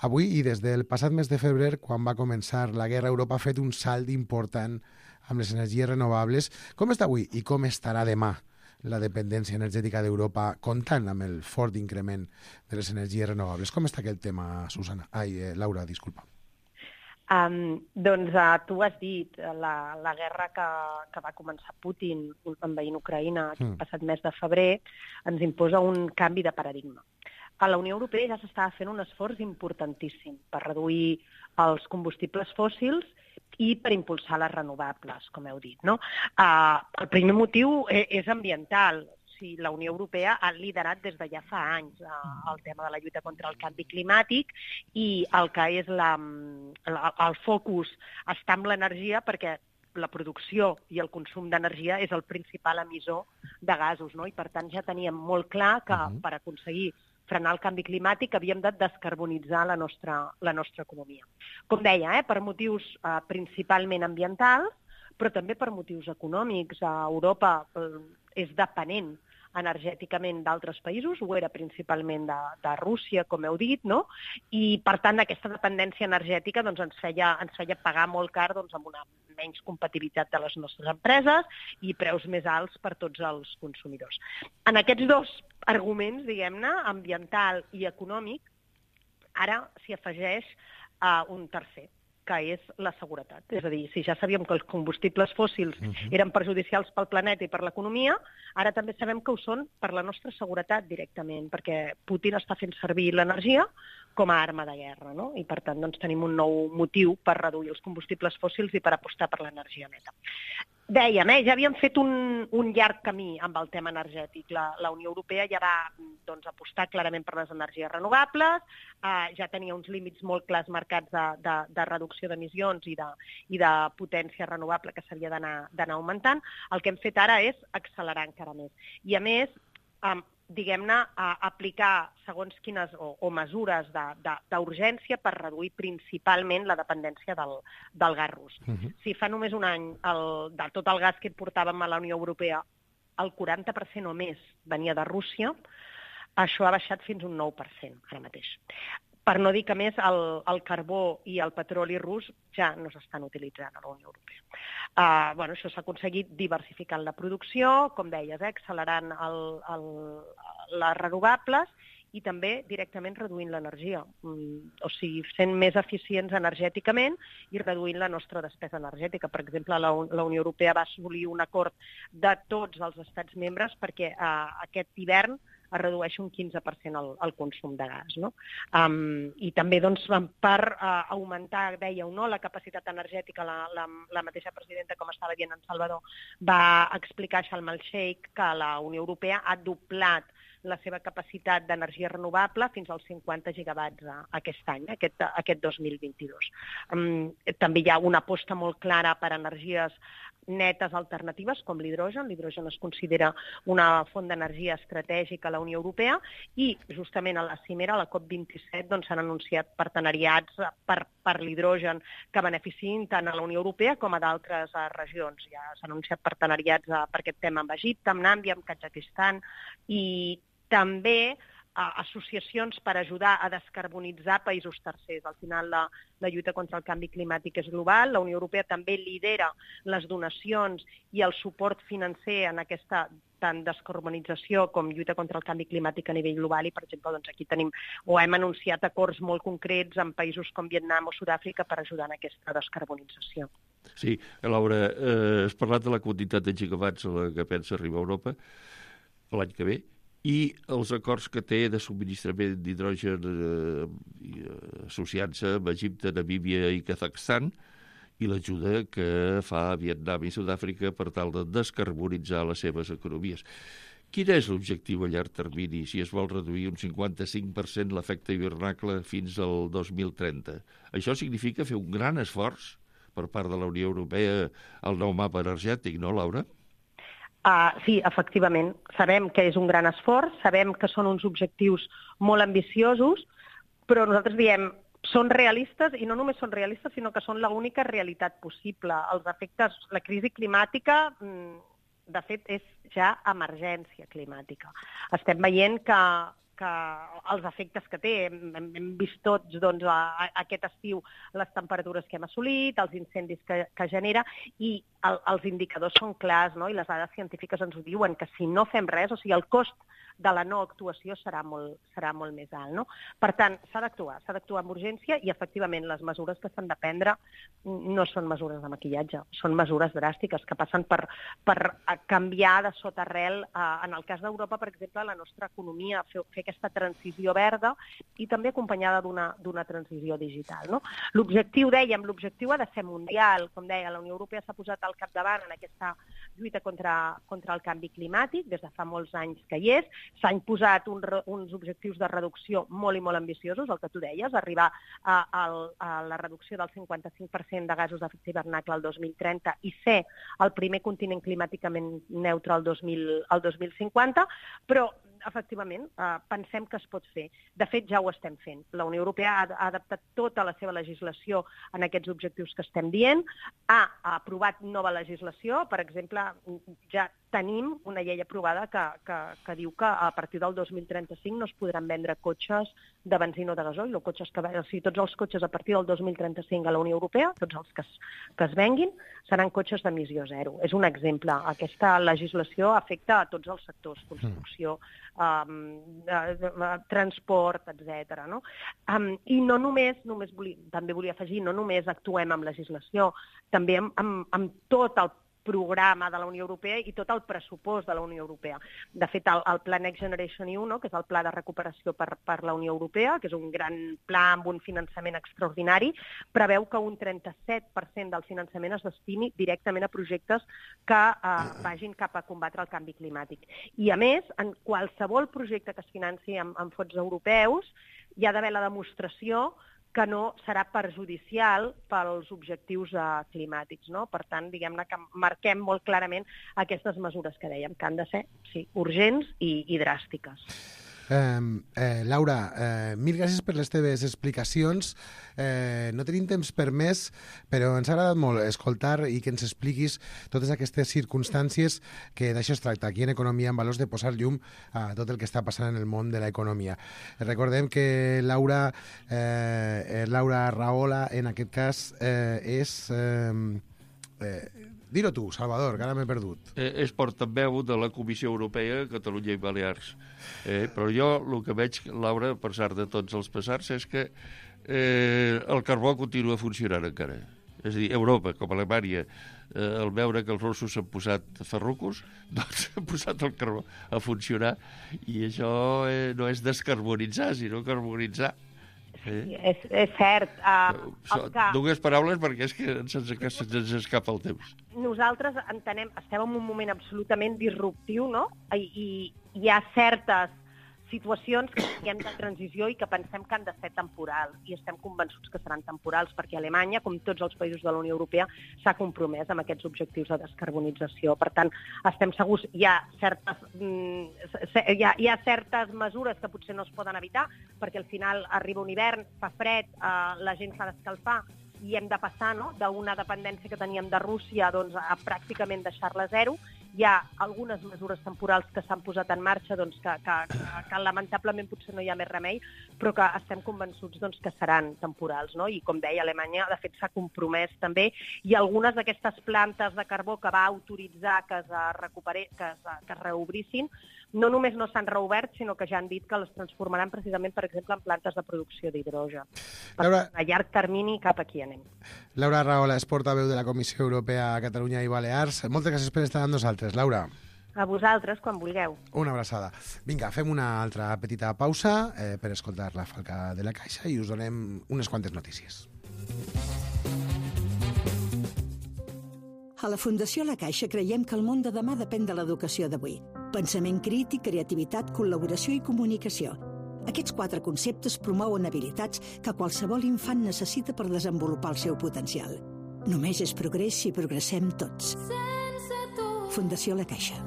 Avui i des del passat mes de febrer, quan va començar la guerra, Europa ha fet un salt important amb les energies renovables. Com està avui i com estarà demà la dependència energètica d'Europa, comptant amb el fort increment de les energies renovables? Com està aquest tema, Susana? Ai, eh, Laura, disculpa. Um, doncs uh, tu has dit, la, la guerra que, que va començar Putin envaint Ucraïna aquest mm. passat mes de febrer ens imposa un canvi de paradigma. A la Unió Europea ja s'estava fent un esforç importantíssim per reduir els combustibles fòssils i per impulsar les renovables, com heu dit, no? Uh, el primer motiu és ambiental. Sí, la Unió Europea ha liderat des de ja fa anys uh, el tema de la lluita contra el canvi climàtic i el que és la, la, el focus està en l'energia perquè la producció i el consum d'energia és el principal emissor de gasos, no? I per tant ja teníem molt clar que uh-huh. per aconseguir frenar el canvi climàtic havíem de descarbonitzar la nostra, la nostra economia. Com deia, eh, per motius eh, principalment ambientals, però també per motius econòmics. A Europa eh, és depenent energèticament d'altres països, ho era principalment de, de Rússia, com heu dit, no? I, per tant, aquesta dependència energètica doncs, ens, feia, ens feia pagar molt car doncs, amb una menys competitivitat de les nostres empreses i preus més alts per tots els consumidors. En aquests dos arguments, diguem-ne, ambiental i econòmic, ara s'hi afegeix uh, un tercer, que és la seguretat. És a dir, si ja sabíem que els combustibles fòssils uh-huh. eren perjudicials pel planeta i per l'economia, ara també sabem que ho són per la nostra seguretat directament, perquè Putin està fent servir l'energia com a arma de guerra, no? I per tant doncs, tenim un nou motiu per reduir els combustibles fòssils i per apostar per l'energia neta. Dèiem, eh, ja havíem fet un, un llarg camí amb el tema energètic. La, la Unió Europea ja va doncs, apostar clarament per les energies renovables, eh, ja tenia uns límits molt clars marcats de, de, de reducció d'emissions i de, i de potència renovable que s'havia d'anar augmentant. El que hem fet ara és accelerar encara més. I a més, eh, diguem-ne, a aplicar segons quines o, o mesures d'urgència per reduir principalment la dependència del, del gas rus. Uh-huh. Si fa només un any el, de tot el gas que portàvem a la Unió Europea, el quaranta per cent o més venia de Rússia, això ha baixat fins un nou per cent ara mateix. per no dir que més el, el carbó i el petroli rus ja no s'estan utilitzant a la Unió Europea. Uh, bueno, això s'ha aconseguit diversificant la producció, com deies, eh, accelerant el, el, les renovables i també directament reduint l'energia, mm, o sigui, sent més eficients energèticament i reduint la nostra despesa energètica. Per exemple, la, la Unió Europea va assolir un acord de tots els estats membres perquè uh, aquest hivern es redueix un quinze per cent el, el consum de gas. No? Um, I també doncs, per uh, augmentar, dèieu, no, la capacitat energètica, la, la, la mateixa presidenta, com estava dient en Salvador, va explicar a Sharm el-Sheikh que la Unió Europea ha doblat la seva capacitat d'energia renovable fins als cinquanta gigawatts aquest any, aquest, aquest dos mil vint-i-dos. Um, també hi ha una aposta molt clara per energies netes alternatives, com l'hidrogen. L'hidrogen es considera una font d'energia estratègica a la Unió Europea i justament a la cimera, a la COP vint-i-set, doncs, s'han anunciat partenariats per, per l'hidrogen que beneficiïn tant a la Unió Europea com a d'altres uh, regions. Ja s'han anunciat partenariats uh, per aquest tema amb Egipte, amb Nàmbia, amb Kazakistan i també associacions per ajudar a descarbonitzar països tercers. Al final, la, la lluita contra el canvi climàtic és global. La Unió Europea també lidera les donacions i el suport financer en aquesta tant descarbonització com lluita contra el canvi climàtic a nivell global i, per exemple, doncs aquí tenim o hem anunciat acords molt concrets en països com Vietnam o Sud-àfrica per ajudar en aquesta descarbonització. Sí, Laura, eh, has parlat de la quantitat de gigawatts a la que pensa arribar a Europa l'any que ve, i els acords que té de subministrament d'hidrogen eh, associant-se amb Egipte, Namíbia i Kazakhstan, i l'ajuda que fa a Vietnam i Sud-àfrica per tal de descarbonitzar les seves economies. Quin és l'objectiu a llarg termini si es vol reduir un cinquanta-cinc per cent l'efecte hivernacle fins al dos mil trenta? Això significa fer un gran esforç per part de la Unió Europea al nou mapa energètic, no, Laura? Uh, sí, efectivament. Sabem que és un gran esforç, sabem que són uns objectius molt ambiciosos, però nosaltres diem són realistes i no només són realistes, sinó que són l'única realitat possible. Els efectes, la crisi climàtica, de fet, és ja emergència climàtica. Estem veient que, que els efectes que té, hem, hem vist tots doncs, a, a, aquest estiu les temperatures que hem assolit, els incendis que, que genera, i el, els indicadors són clars, no? I les dades científiques ens ho diuen, que si no fem res, o sigui, el cost de la no actuació serà molt, serà molt més alt. No? Per tant, s'ha d'actuar, s'ha d'actuar amb urgència i, efectivament, les mesures que s'han de prendre no són mesures de maquillatge, són mesures dràstiques que passen per, per canviar de sota arrel, eh, en el cas d'Europa, per exemple, la nostra economia, fer, fer aquesta transició verda i també acompanyada d'una d'una transició digital. No? L'objectiu, dèiem, l'objectiu ha de ser mundial. Com deia, la Unió Europea s'ha posat al capdavant en aquesta lluita contra, contra el canvi climàtic, des de fa molts anys que hi és. S'han posat un, uns objectius de reducció molt i molt ambiciosos, el que tu deies, arribar a, a, a la reducció del cinquanta-cinc per cent de gasos d'efecte hivernacle al dos mil trenta i ser el primer continent climàticament neutre al dos mil, al dos mil cinquanta, però efectivament, eh, pensem que es pot fer. De fet, ja ho estem fent. La Unió Europea ha, ha adaptat tota la seva legislació en aquests objectius que estem dient, ha, ha aprovat nova legislació, per exemple, ja tenim una llei aprovada que, que, que diu que a partir del dos mil trenta-cinc no es podran vendre cotxes de benzina o de gasoil, o cotxes que, o sigui, tots els cotxes a partir del dos mil trenta-cinc a la Unió Europea, tots els que es, que es venguin, seran cotxes d'emissió zero. És un exemple. Aquesta legislació afecta a tots els sectors, construcció, um, transport, etcètera. No? Um, I no només, només volia, també volia afegir, no només actuem amb legislació, també amb, amb, amb tot el programa de la Unió Europea i tot el pressupost de la Unió Europea. De fet, el, el Pla Next Generation E U, no, que és el pla de recuperació per, per la Unió Europea, que és un gran pla amb un finançament extraordinari, preveu que un trenta-set per cent del finançament es destini directament a projectes que eh, vagin cap a combatre el canvi climàtic. I, a més, en qualsevol projecte que es financi amb, amb fons europeus, hi ha d'haver la demostració que no serà perjudicial pels objectius eh, climàtics. No? Per tant, diguem-ne que marquem molt clarament aquestes mesures que dèiem, que han de ser sí, urgents i, i dràstiques. Eh, eh, Laura, eh, mil gràcies per les teves explicacions. Eh, no tenim temps per més, però ens ha agradat molt escoltar i que ens expliquis totes aquestes circumstàncies, que d'això es tracta aquí en Economia en Valors, de posar llum a tot el que està passant en el món de l'economia. Recordem que Laura, eh, Laura Rahola, en aquest cas, eh, és... Eh, eh, Dir-ho tu, Salvador, que ara m'he perdut. Eh, és portaveu de la Comissió Europea, Catalunya i Balears. Eh, però jo el que veig, Laura, a pesar de tots els pesars, és que eh, el carbó continua funcionant encara. És a dir, Europa, com Alemanya, eh, al veure que els russos s'han posat ferrucos, doncs han posat el carbó a funcionar, i això eh, no és descarbonitzar, sinó carbonitzar. Sí, és, és cert. Uh, so, que... Dues paraules, perquè és que se'ns, se'ns escapa el temps. Nosaltres entenem, estem en un moment absolutament disruptiu, no? I, i hi ha certes situacions que hem de transició i que pensem que han de ser temporals, i estem convençuts que seran temporals, perquè Alemanya, com tots els països de la Unió Europea, s'ha compromès amb aquests objectius de descarbonització. Per tant, estem segurs, hi ha certes, hi ha, hi ha certes mesures que potser no es poden evitar, perquè al final arriba un hivern, fa fred, eh, la gent s'ha d'escalfar, i hem de passar, no?, d'una dependència que teníem de Rússia, doncs, a pràcticament deixar-la a zero. Hi ha algunes mesures temporals que s'han posat en marxa, doncs, que, que, que, que lamentablement potser no hi ha més remei, però que estem convençuts, doncs, que seran temporals, no? I com deia, Alemanya, de fet, s'ha compromès també, i algunes d'aquestes plantes de carbó que va autoritzar que es, recupere, que es, que es reobrissin, no només no s'han reobert, sinó que ja han dit que les transformaran precisament, per exemple, en plantes de producció d'hidrogen. Per Laura... a llarg termini cap aquí anem. Laura Rahola és portaveu de la Comissió Europea a Catalunya i Balears. Moltes gràcies per estar amb nosaltres, Laura. A vosaltres, quan vulgueu. Una abraçada. Vinga, fem una altra petita pausa eh, per escoltar la Falca de la Caixa i us donem unes quantes notícies. A la Fundació La Caixa creiem que el món de demà depèn de l'educació d'avui. Pensament crític, creativitat, col·laboració i comunicació. Aquests quatre conceptes promouen habilitats que qualsevol infant necessita per desenvolupar el seu potencial. Només és progrés si progressem tots. Fundació La Caixa.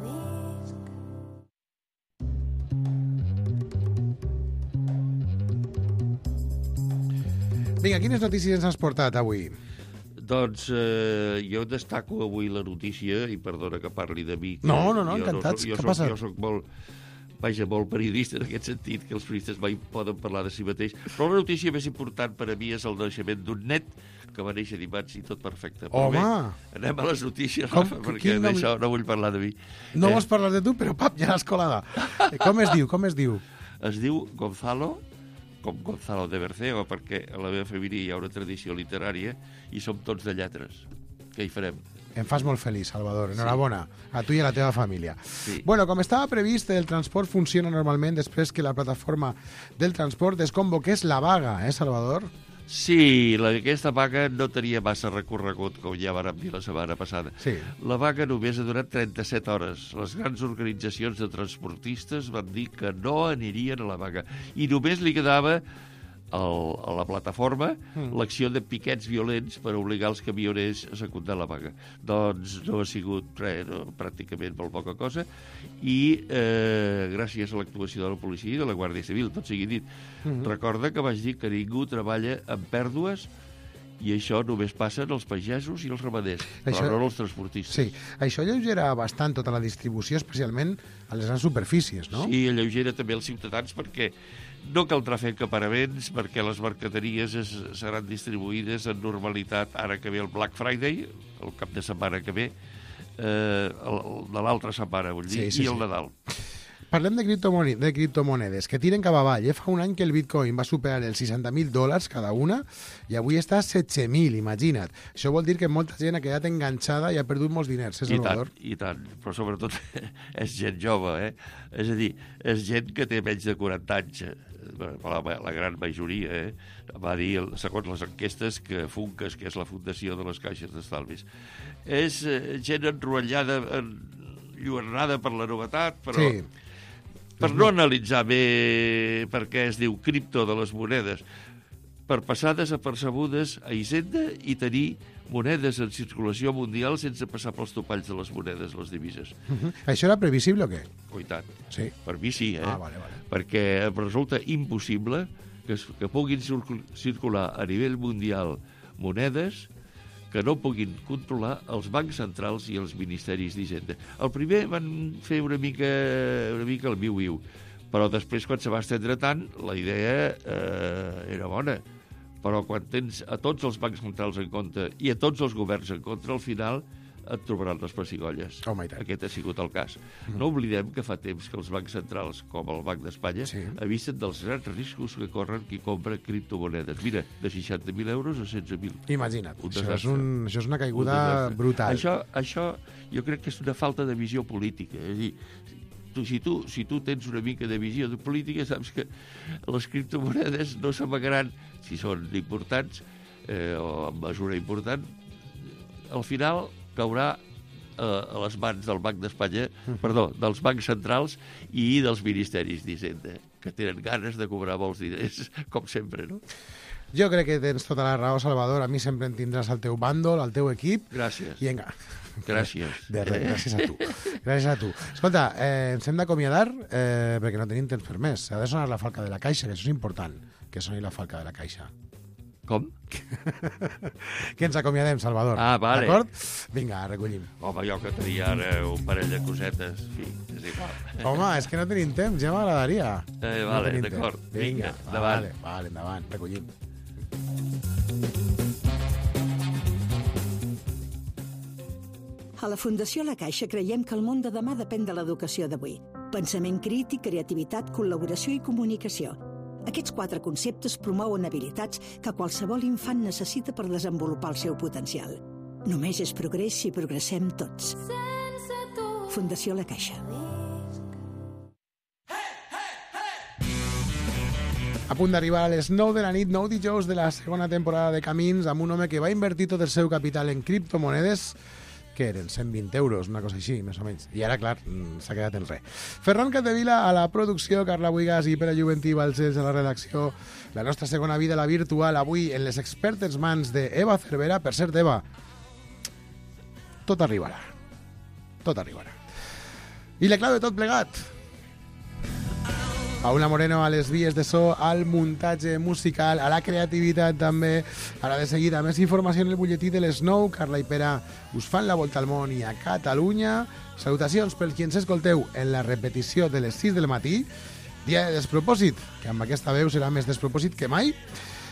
Vinga, quines notícies ens has portat avui? Doncs eh, jo destaco avui la notícia, i perdona que parli de mi. No, no, no, encantats. No, jo, Què soc, passa? jo soc molt, vaja, molt periodista en aquest sentit, que els periodistes mai poden parlar de si mateix. Però la notícia més important per a mi és el naixement d'un net que va néixer dimarts i tot perfecte. Però Home! Bé, anem a les notícies, Com, Rafa, perquè nom... d'això no vull parlar de mi. No eh, vols parlar de tu, però pap, ja l'has colada. Com es diu, com es diu? Es diu Gonzalo, com Gonzalo de Berceo, perquè a la meva família hi ha una tradició literària i som tots de lletres. Què hi farem? Em fas molt feliç, Salvador. Enhorabona. Sí. A tu i a la teva família. Sí. Bueno, com estava previst, el transport funciona normalment després que la plataforma del transport desconvoqués la vaga, eh, Salvador? Sí, la, aquesta vaga no tenia massa recorregut, com ja vàrem dir la setmana passada. Sí. La vaga només ha durat trenta-set hores. Les grans organitzacions de transportistes van dir que no anirien a la vaga. I només li quedava el, a la plataforma mm. l'acció de piquets violents per obligar els camioners a secundar la vaga. Doncs no ha sigut res, no, pràcticament molt poca cosa, i eh, gràcies a l'actuació de la policia i de la Guàrdia Civil, tot sigui dit. Mm-hmm. Recorda que vaig dir que ningú treballa amb pèrdues, i això només passa en els pagesos i els ramaders, això... però no els transportistes. Sí, això alleugera bastant tota la distribució, especialment a les grans superfícies, no? Sí, alleugera també els ciutadans, perquè no caldrà fer encaparaments, perquè les mercaderies es, seran distribuïdes en normalitat ara que ve el Black Friday, el cap de setmana que ve, eh, el, el de l'altra setmana, vull dir, sí, sí, i el sí. Nadal. Parlem de, criptomone de criptomonedes, que tiren cap avall. Eh? Fa un any que el bitcoin va superar els seixanta mil dòlars cada una i avui està a setze mil, imagina't. Això vol dir que molta gent ha quedat enganxada i ha perdut molts diners, eh, Salvador? I tant, i tant, però sobretot és gent jove, eh? És a dir, és gent que té menys de quaranta anys, la, la gran majoria, eh? Va dir, segons les enquestes, que Funcas, que és la fundació de les caixes d'estalvis, és eh, gent enrotllada, enlluernada per la novetat, però... Sí. Per no analitzar bé per què es diu cripto de les monedes, per passar desapercebudes a Hisenda i tenir monedes en circulació mundial sense passar pels topalls de les monedes, les divises. Uh-huh. Això era previsible o què? Oh, i tant. Sí. Per mi sí, eh? Ah, vale, vale. Perquè em resulta impossible que, que puguin circular a nivell mundial monedes que no puguin controlar els bancs centrals i els ministeris d'Hisenda. El primer van fer una mica, una mica el viu-viu, però després, quan se va estendre tant, la idea eh, era bona. Però quan tens a tots els bancs centrals en compte i a tots els governs en contra, al final et trobaran les pessigolles. Oh, Aquest ha sigut el cas. Mm. No oblidem que fa temps que els bancs centrals, com el Banc d'Espanya, sí. avisen dels grans riscos que corren qui compra criptomonedes. Mira, de seixanta mil euros a setze mil. Imagina't, un això, és un, això és una caiguda un brutal. Això, això jo crec que és una falta de visió política. És a dir, Tu, si, tu, si tu tens una mica de visió de política, saps que les criptomonedes no s'amagaran, si són importants, eh, o en mesura important, al final caurà eh, a les mans del Banc d'Espanya, perdó, dels bancs centrals i dels ministeris d'Hisenda, que tenen ganes de cobrar molts diners, com sempre, no? Jo crec que tens tota la raó, Salvador. A mi sempre en tindràs al teu bàndol, al teu equip. Gràcies. I vinga. Gràcies. De res, gràcies a tu. Gràcies a tu. Escolta, eh, ens hem d'acomiadar eh, perquè no tenim temps per més. Ha de sonar la falca de la caixa, que això és important, que soni la falca de la caixa. Com? Que ens acomiadem, Salvador. Ah, vale. D'acord? Vinga, recollim. Home, jo que tenia ara un parell de cosetes, en fi, és igual. Home, és que no tenim temps, ja m'agradaria. Eh, vale, no d'acord. Vinga, Vinga, endavant. Vale, vale, endavant, recollim. A la Fundació La Caixa creiem que el món de demà depèn de l'educació d'avui. Pensament crític, creativitat, col·laboració i comunicació. Aquests quatre conceptes promouen habilitats que qualsevol infant necessita per desenvolupar el seu potencial. Només és progrés si progressem tots. Fundació La Caixa. A punt d'arribar a les nou de la nit, nou dijous de la segona temporada de Camins, amb un home que va invertir tot el seu capital en criptomonedes, que eren cent vint euros, una cosa així, més o menys. I ara, clar, s'ha quedat en res. Ferran Capdevila a la producció, Carla Buigas i Pere Juventí Balcells a la redacció. La nostra segona vida, la virtual, avui en les expertes mans d'Eva Cervera. Per cert, Eva, tot arribarà. Tot arribarà. I la clau de tot plegat. Paula Moreno a les vies de so, al muntatge musical, a la creativitat també. Ara de seguida, més informació en el butlletí de les nou. Carla i Pere us fan la volta al món i a Catalunya. Salutacions per qui ens escolteu en la repetició de les sis del matí. Dia de despropòsit, que amb aquesta veu serà més despropòsit que mai.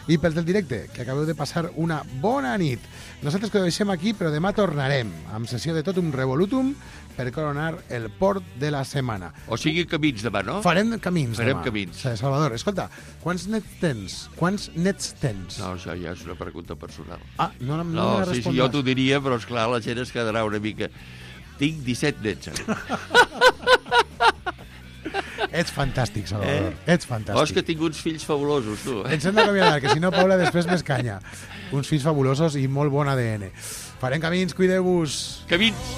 I pel del directe, que acabeu de passar una bona nit. Nosaltres que ho deixem aquí, però demà tornarem amb sessió de tot un revolutum per coronar el port de la setmana. O sigui, camins demà, no? Farem camins Farem demà. camins. Sí, Salvador, escolta, quants nets tens? Quants nets tens? No, això ja és una pregunta personal. Ah, no, no, no, no me sí, sí, jo t'ho diria, però esclar, la gent es quedarà una mica... Tinc disset nets. Ets fantàstic, Salvador. Eh? Ets fantàstic. Oh, és que tinc uns fills fabulosos, tu. Eh? Ens hem d'acomiadar, que si no, Paula, després m'escanya. Uns fills fabulosos i molt bon A D N. Farem camins, cuideu-vos. Camins!